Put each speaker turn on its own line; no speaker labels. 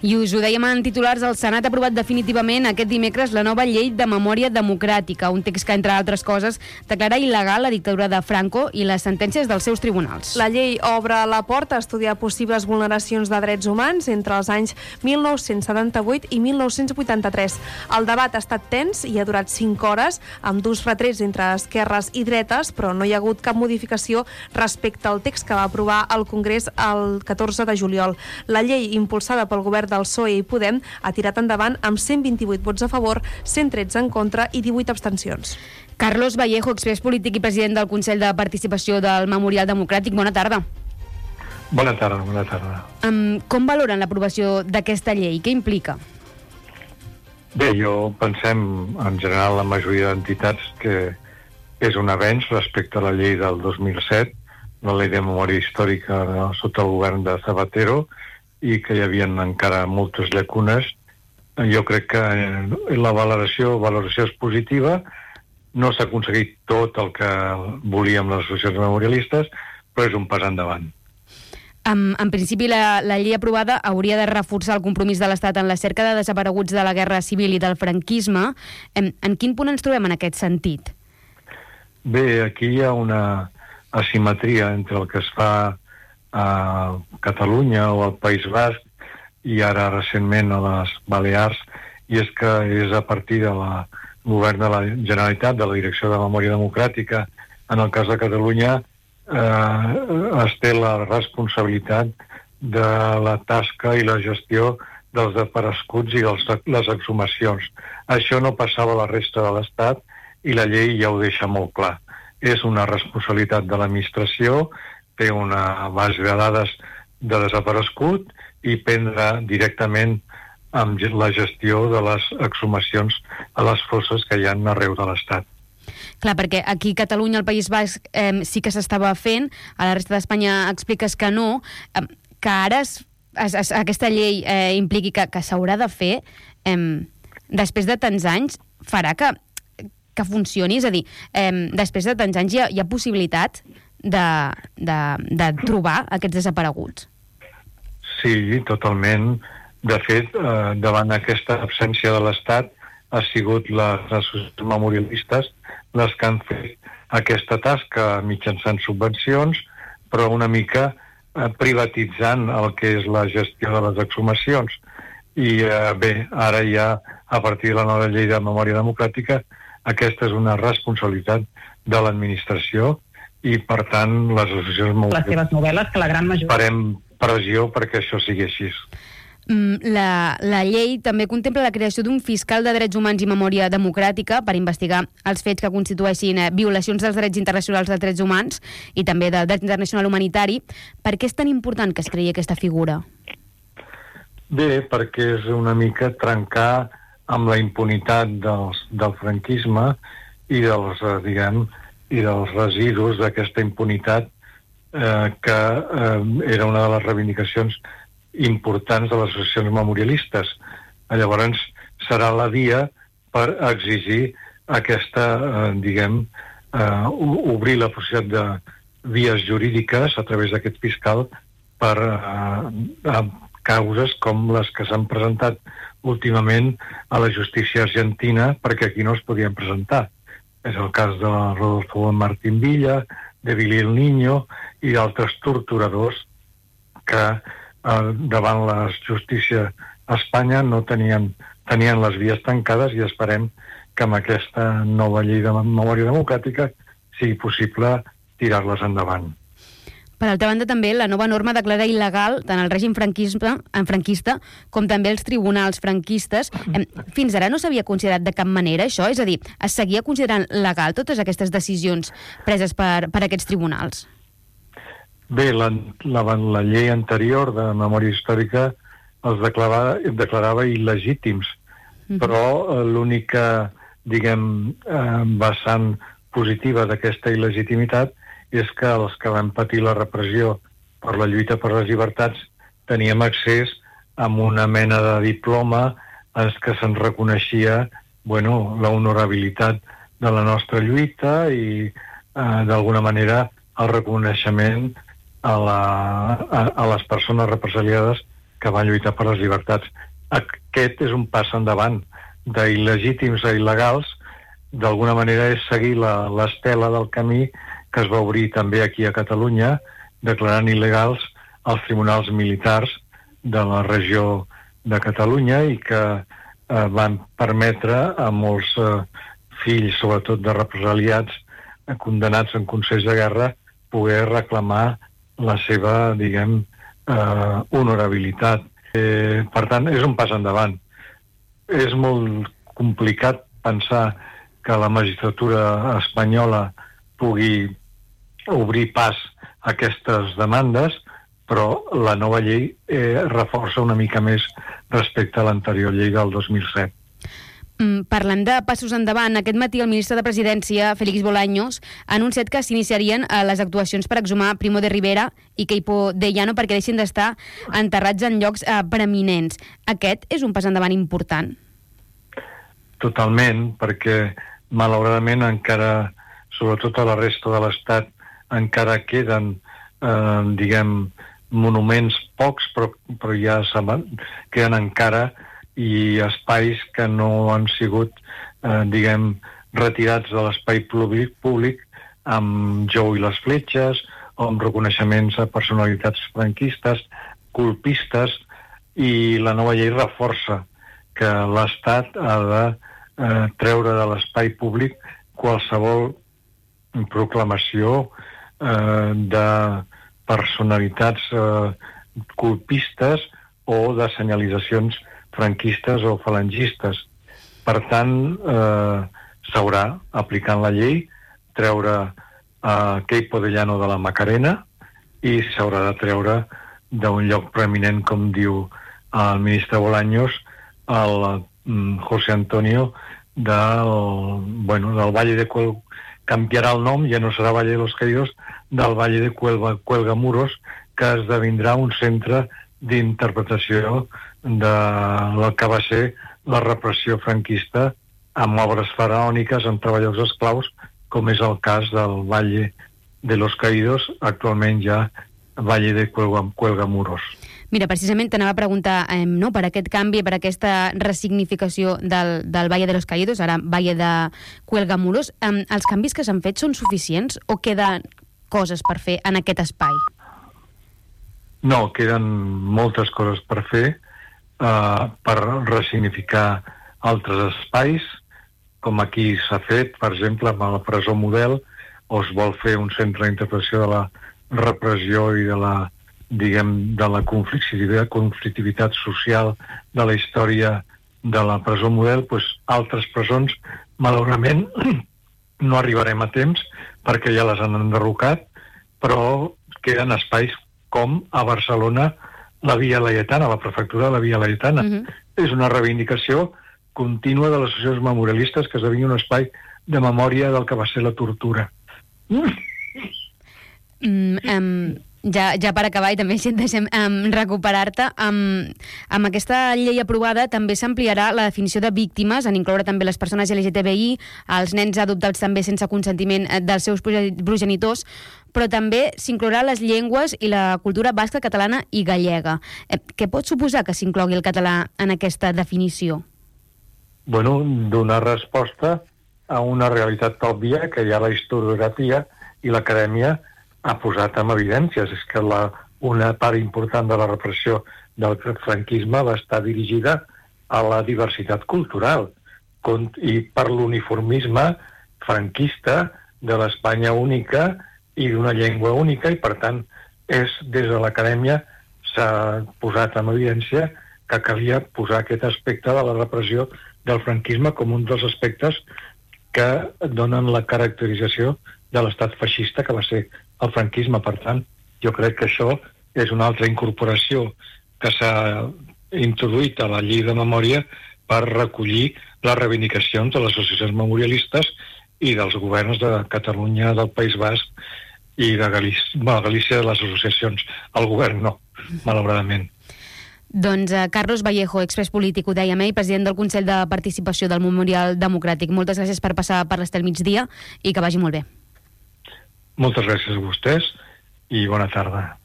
I us ho dèiem en titulars, el Senat ha aprovat definitivament aquest dimecres la nova llei de memòria democràtica, un text que, entre altres coses, declara il·legal la dictadura de Franco i les sentències dels seus tribunals.
La llei obre la porta a estudiar possibles vulneracions de drets humans entre els anys 1978 i 1983. El debat ha estat tens i ha durat 5 hores, amb durs retrets entre esquerres i dretes, però no hi ha hagut cap modificació respecte al text que va aprovar el Congrés el 14 de juliol. La llei, impulsada pel govern del PSOE i Podem, ha tirat endavant amb 128 vots a favor, 113 en contra i 18 abstencions.
Carlos Vallejo, expres polític i president del Consell de Participació del Memorial Democràtic. Bona tarda.
Bona tarda, bona tarda.
Com valoren l'aprovació d'aquesta llei? Què implica?
Bé, pensem, en general, la majoria d'entitats que és un avenç respecte a la llei del 2007, la llei de memòria històrica sota el govern de Zapatero, i que hi havia encara moltes llacunes. Jo crec que la valoració és positiva. No s'ha aconseguit tot el que volíem les associacions memorialistes, però és un pas endavant.
En principi, la llei aprovada hauria de reforçar el compromís de l'Estat en la cerca de desapareguts de la Guerra Civil i del franquisme. En quin punt ens trobem en aquest sentit?
Bé, aquí hi ha una asimetria entre el que es fa a Catalunya o al País Basc i ara recentment a les Balears, i és que és a partir del govern de la Generalitat, de la Direcció de Memòria Democràtica, en el cas de Catalunya, es té la responsabilitat de la tasca i la gestió dels desapareguts i les exhumacions. Això no passava a la resta de l'Estat i la llei ja ho deixa molt clar. És una responsabilitat de l'administració, té una base de dades de desaparegut i prendre directament amb la gestió de les exhumacions a les fosses que hi ha arreu de l'Estat.
Clar, perquè aquí a Catalunya, al País Basc, sí que s'estava fent, a la resta d'Espanya expliques que no, que ara aquesta llei impliqui que s'haurà de fer, després de tants anys, farà que funcioni? És a dir, després de tants anys hi ha possibilitat de trobar aquests desapareguts?
Sí, totalment. De fet, davant aquesta absència de l'Estat, ha sigut les associacions memorialistes les que han fet aquesta tasca mitjançant subvencions, però una mica privatitzant el que és la gestió de les exhumacions. I bé, ara ja, a partir de la nova llei de memòria democràtica, aquesta és una responsabilitat de l'administració i, per tant, les associacions memorialistes...
Les seves novel·les, que la gran majoria...
Farem pressió perquè això sigui així.
La llei també contempla la creació d'un fiscal de drets humans i memòria democràtica per investigar els fets que constitueixin violacions dels drets internacionals dels drets humans i també del dret internacional humanitari. Per què és tan important que es creï aquesta figura?
Bé, perquè és una mica trencar amb la impunitat del franquisme i dels, i dels residus d'aquesta impunitat que era una de les reivindicacions importants de les associacions memorialistes. Llavors serà la via per exigir aquesta, obrir la possibilitat de vies jurídiques a través d'aquest fiscal per causes com les que s'han presentat últimament a la justícia argentina, perquè aquí no es podien presentar. És el cas de Rodolfo Martín Villa, de Billy el Niño i d'altres torturadors que davant la justícia a Espanya no tenien les vies tancades, i esperem que amb aquesta nova llei de memòria democràtica sigui possible tirar-les endavant.
Per altra banda, també la nova norma declara il·legal tant el règim franquista com també els tribunals franquistes. Fins ara no s'havia considerat de cap manera això? És a dir, es seguia considerant legal totes aquestes decisions preses per aquests tribunals?
Bé, la llei anterior de memòria històrica els declarava il·legítims, però l'única, vessant positiva d'aquesta il·legitimitat és que els que van patir la repressió per la lluita per les llibertats teníem accés a una mena de diploma en què se'n reconeixia la honorabilitat de la nostra lluita i d'alguna manera el reconeixement a les persones represaliades que van lluitar per les llibertats. Aquest és un pas endavant. d'il·legítims a il·legals, d'alguna manera és seguir l'estela del camí que es va obrir també aquí a Catalunya, declarant il·legals els tribunals militars de la regió de Catalunya i que van permetre a molts fills, sobretot de represaliats, condenats en consells de guerra, poder reclamar la seva, diguem, honorabilitat. Per tant, és un pas endavant. És molt complicat pensar que la magistratura espanyola pugui obrir pas a aquestes demandes, però la nova llei reforça una mica més respecte a l'anterior llei del 2007.
Parlant de passos endavant, aquest matí el ministre de Presidència, Félix Bolaños, ha anunciat que s'iniciarien les actuacions per exhumar Primo de Rivera i Queipo de Llano perquè deixin d'estar enterrats en llocs preeminents. Aquest és un pas endavant important?
Totalment, perquè malauradament encara, sobretot a la resta de l'Estat, encara queden, diguem, monuments pocs, però ja queden encara i espais que no han sigut, diguem, retirats de l'espai públic amb Jou i les fletxes o amb reconeixements a personalitats franquistes, colpistes, i la nova llei reforça que l'Estat ha de treure de l'espai públic qualsevol proclamació de personalitats colpistes o de senyalitzacions franquistes o falangistes. Per tant, s'haurà, aplicant la llei, treure Queipo de Llano de la Macarena i s'haurà de treure d'un lloc preeminent, com diu el ministre Bolaños, el José Antonio del Valle de Cuelga, canviarà el nom, ja no serà Valle de los Caídos, del Valle de Cuelgamuros, que esdevindrà un centre d'interpretació del que va ser la repressió franquista amb obres faraòniques, amb treballadors esclaus, com és el cas del Valle de los Caídos, actualment ja Valle de Cuelgamuros.
Mira, precisament t'anava a preguntar per aquest canvi, per aquesta resignificació del Valle de los Caídos, ara Valle de Cuelgamuros. Els canvis que s'han fet són suficients o queden coses per fer en aquest espai?
No, queden moltes coses per fer, per resignificar altres espais, com aquí s'ha fet, per exemple, amb la presó Model, o es vol fer un centre d'interpretació de la repressió i de la, diguem, de la conflictivitat social de la història de la presó Model, doncs altres presons, malauradament, no arribarem a temps perquè ja les han enderrocat, però queden espais com a Barcelona la Via Laietana, la prefectura de la Via Laietana. És una reivindicació contínua de les associacions memorialistes que esdevingui un espai de memòria del que va ser la tortura.
Ja per acabar, i també si et deixem recuperar-te, amb aquesta llei aprovada també s'ampliarà la definició de víctimes, en incloure també les persones LGTBI, els nens adoptats també sense consentiment dels seus progenitors, però també s'inclourà les llengües i la cultura basca, catalana i gallega. Què pot suposar que s'inclogui el català en aquesta definició?
Bueno, donar resposta a una realitat òbvia que ja la historiografia i l'acadèmia ha posat en evidències. És que una part important de la repressió del franquisme va estar dirigida a la diversitat cultural i per l'uniformisme franquista de l'Espanya única i d'una llengua única, i per tant des de l'acadèmia s'ha posat en evidència que calia posar aquest aspecte de la repressió del franquisme com un dels aspectes que donen la caracterització de l'estat feixista que va ser el franquisme. Per tant, jo crec que això és una altra incorporació que s'ha introduït a la llei de memòria per recollir les reivindicacions de les associacions memorialistes i dels governs de Catalunya, del País Basc i de Galícia, de les associacions. El govern no, malauradament.
Doncs Carlos Vallejo, expres polític, ho dèiem, president del Consell de Participació del Memorial Democràtic. Moltes gràcies per passar per l'Estel Migdia i que vagi molt bé.
Moltes gràcies a vostès i bona tarda.